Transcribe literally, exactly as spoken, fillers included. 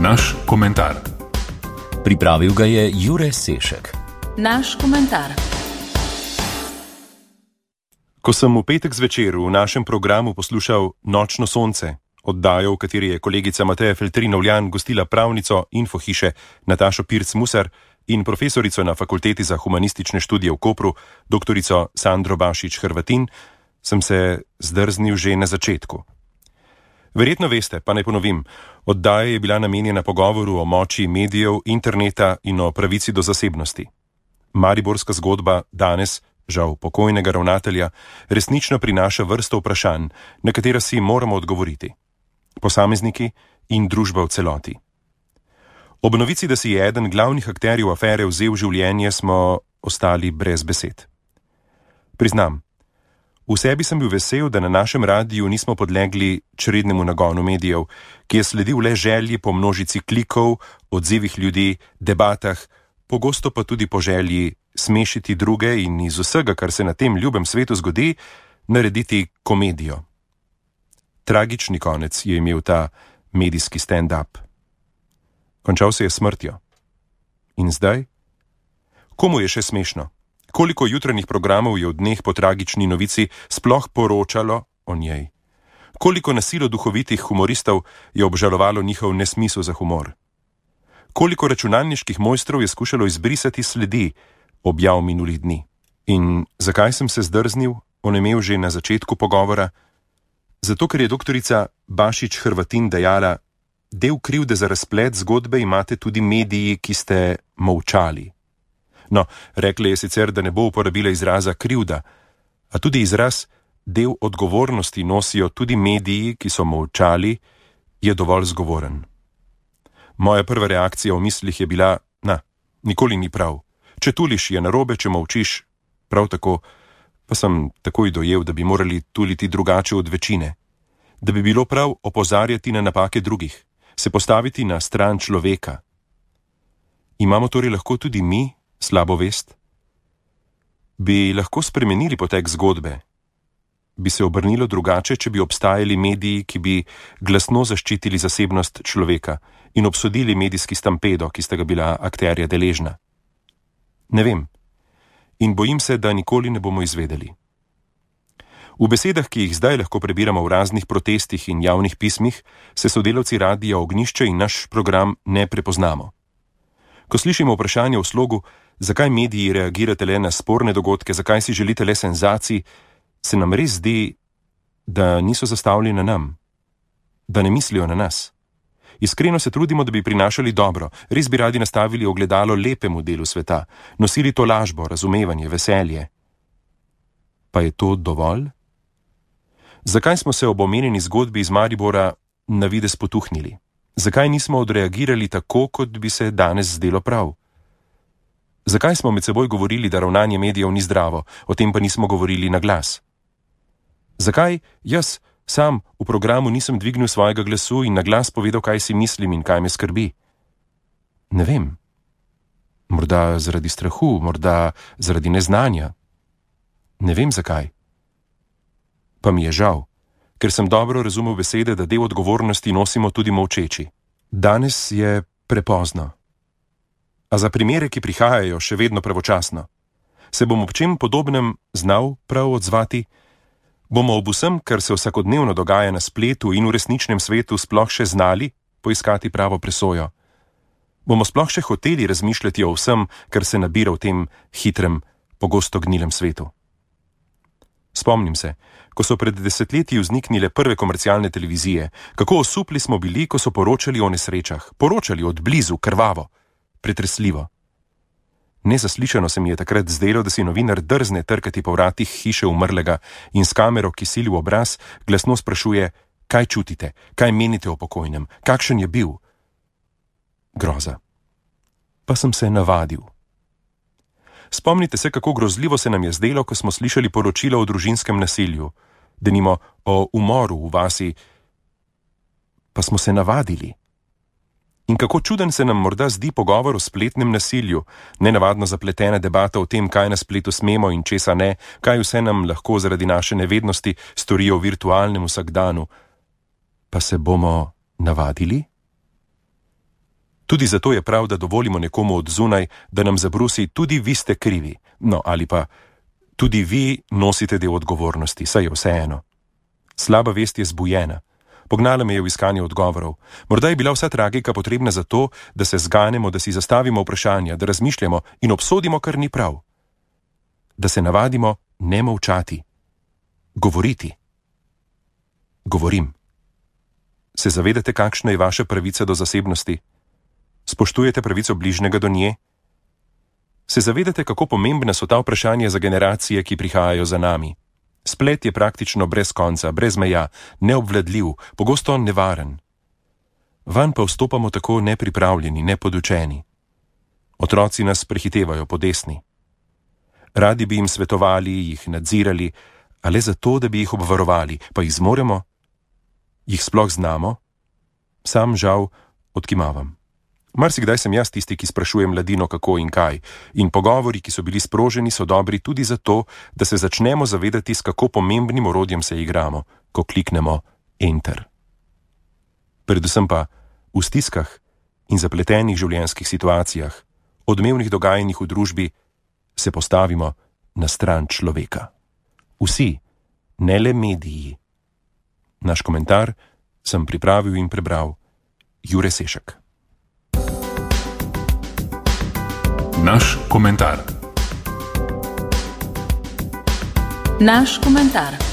Naš komentar. Pripravil ga je Jure Sešek. Naš komentar. Ko sem v petek zvečer v našem programu poslušal Nočno sonce, oddajo, v kateri je kolegica Mateja Feltrin-Ovljan gostila pravnico Infohiše Natašo Pirc-Musar in profesorico na Fakulteti za humanistične študije v Kopru, doktorico Sandro Bašič-Hrvatin, sem se zdrznil že na začetku. Verjetno veste, pa naj ponovim, oddaja je bila namenjena pogovoru o moči medijev, interneta in o pravici do zasebnosti. Mariborska zgodba danes, žal pokojnega ravnatelja, resnično prinaša vrsto vprašanj, na katera si moramo odgovoriti. Posamezniki in družba v celoti. Ob novici, da si je eden glavnih akterjev afere vzel življenje, smo ostali brez besed. Priznam, v sebi sem bil vesel, da na našem radiju nismo podlegli črednemu nagonu medijev, ki je sledil le želji po množici klikov, odzivih ljudi, debatah, pogosto pa tudi po želji smešiti druge in iz vsega, kar se na tem ljubem svetu zgodi, narediti komedijo. Tragični konec je imel ta medijski stand-up. Končal se je smrtjo. In zdaj? Komu je še smešno? Koliko jutranjih programov je v dneh po tragični novici sploh poročalo o njej? Koliko na silo duhovitih humoristov je obžalovalo njihov nesmisel za humor? Koliko računalniških mojstrov je skušalo izbrisati sledi objav minulih dni? In zakaj sem se zdrznil, onemel že na začetku pogovora? Zato, ker je doktorica Bašič-Hrvatin dejala, del krivde za razplet zgodbe imate tudi mediji, ki ste molčali. No, rekla je sicer, da ne bo uporabila izraza krivda, a tudi izraz del odgovornosti nosijo tudi mediji, ki so molčali, je dovolj zgovoren. Moja prva reakcija v mislih je bila, na, nikoli ni prav. Če tuliš, je narobe, če molčiš, prav tako, pa sem takoj dojel, da bi morali tuliti drugače od večine. Da bi bilo prav opozarjati na napake drugih, se postaviti na stran človeka. Imamo torej lahko tudi mi slabo vest? Bi lahko spremenili potek zgodbe? Bi se obrnilo drugače, če bi obstajali mediji, ki bi glasno zaščitili zasebnost človeka in obsodili medijski stampedo, ki sta ga bila akterja deležna? Ne vem. In bojim se, da nikoli ne bomo izvedeli. V besedah, ki jih zdaj lahko prebiramo v raznih protestih in javnih pismih, se sodelavci Radia Ognjišče in naš program ne prepoznamo. Ko slišimo vprašanje v slogu, zakaj mediji reagirate le na sporne dogodke, zakaj si želite le senzacij, se nam res zdi, da niso zastavljeni na nam, da ne mislijo na nas. Iskreno se trudimo, da bi prinašali dobro, res bi radi nastavili ogledalo lepemu delu sveta, nosili to lažbo, razumevanje, veselje. Pa je to dovolj? Zakaj smo se ob omenjeni zgodbi iz Maribora na videz potuhnili? Zakaj nismo odreagirali tako, kot bi se danes zdelo prav? Zakaj smo med seboj govorili, da ravnanje medijev ni zdravo, o tem pa nismo govorili na glas? Zakaj jaz sam v programu nisem dvignil svojega glasu in na glas povedal, kaj si mislim in kaj me skrbi? Ne vem. Morda zaradi strahu, morda zaradi neznanja. Ne vem zakaj. Pa mi je žal, ker sem dobro razumel besede, da del odgovornosti nosimo tudi molčeči. Danes je prepozno. A za primere, ki prihajajo, še vedno pravočasno. Se bom ob čem podobnem znal prav odzvati? Bomo ob vsem, kar se vsakodnevno dogaja na spletu in v resničnem svetu, sploh še znali poiskati pravo presojo? Bomo sploh še hoteli razmišljati o vsem, kar se nabira v tem hitrem, pogosto gnilem svetu? Spomnim se, ko so pred desetletji vzniknile prve komercialne televizije, kako osupli smo bili, ko so poročali o nesrečah, poročali od blizu, krvavo, pretresljivo. Nezaslišano se mi je takrat zdelo, da si novinar drzne trkati po vratih hiše umrlega in s kamero, ki sili v obraz, glasno sprašuje, kaj čutite, kaj menite o pokojnem, kakšen je bil. Groza. Pa sem se navadil. Spomnite se, kako grozljivo se nam je zdelo, ko smo slišali poročila o družinskem nasilju, denimo o umoru v vasi, pa smo se navadili. In kako čuden se nam morda zdi pogovor o spletnem nasilju, nenavadno zapletena debata o tem, kaj na spletu smemo in česa ne, kaj vse nam lahko zaradi naše nevednosti storijo v virtualnem vsakdanu. Pa se bomo navadili? Tudi zato je prav, da dovolimo nekomu od zunaj, da nam zabrusi, tudi vi ste krivi. No, ali pa tudi vi nosite del odgovornosti, saj je vseeno. Slaba vest je zbujena. Pognala me je v iskanje odgovorov. Morda je bila vsa tragika potrebna za to, da se zganemo, da si zastavimo vprašanja, da razmišljamo in obsodimo, kar ni prav. Da se navadimo ne molčati. Govoriti. Govorim. Se zavedate, kakšna je vaša pravica do zasebnosti? Spoštujete pravico bližnjega do nje? Se zavedate, kako pomembna so ta vprašanja za generacije, ki prihajajo za nami? Splet je praktično brez konca, brez meja, neobvladljiv, pogosto nevaren. Vanj pa vstopamo tako nepripravljeni, nepodučeni. Otroci nas prehitevajo po desni. Radi bi jim svetovali, jih nadzirali, a le zato, da bi jih obvarovali, pa jih zmoremo? Jih sploh znamo? Sam žal odkimavam. Marsikdaj sem jaz tisti, ki sprašujem mladino kako in kaj, in pogovori, ki so bili sproženi, so dobri tudi zato, da se začnemo zavedati, s kako pomembnim orodjem se igramo, ko kliknemo Enter. Predvsem pa v stiskah in zapletenih življenjskih situacijah, odmevnih dogajanjih v družbi, se postavimo na stran človeka. Vsi, ne le mediji. Naš komentar sem pripravil in prebral Jure Sešek. Naš komentar. Naš komentar.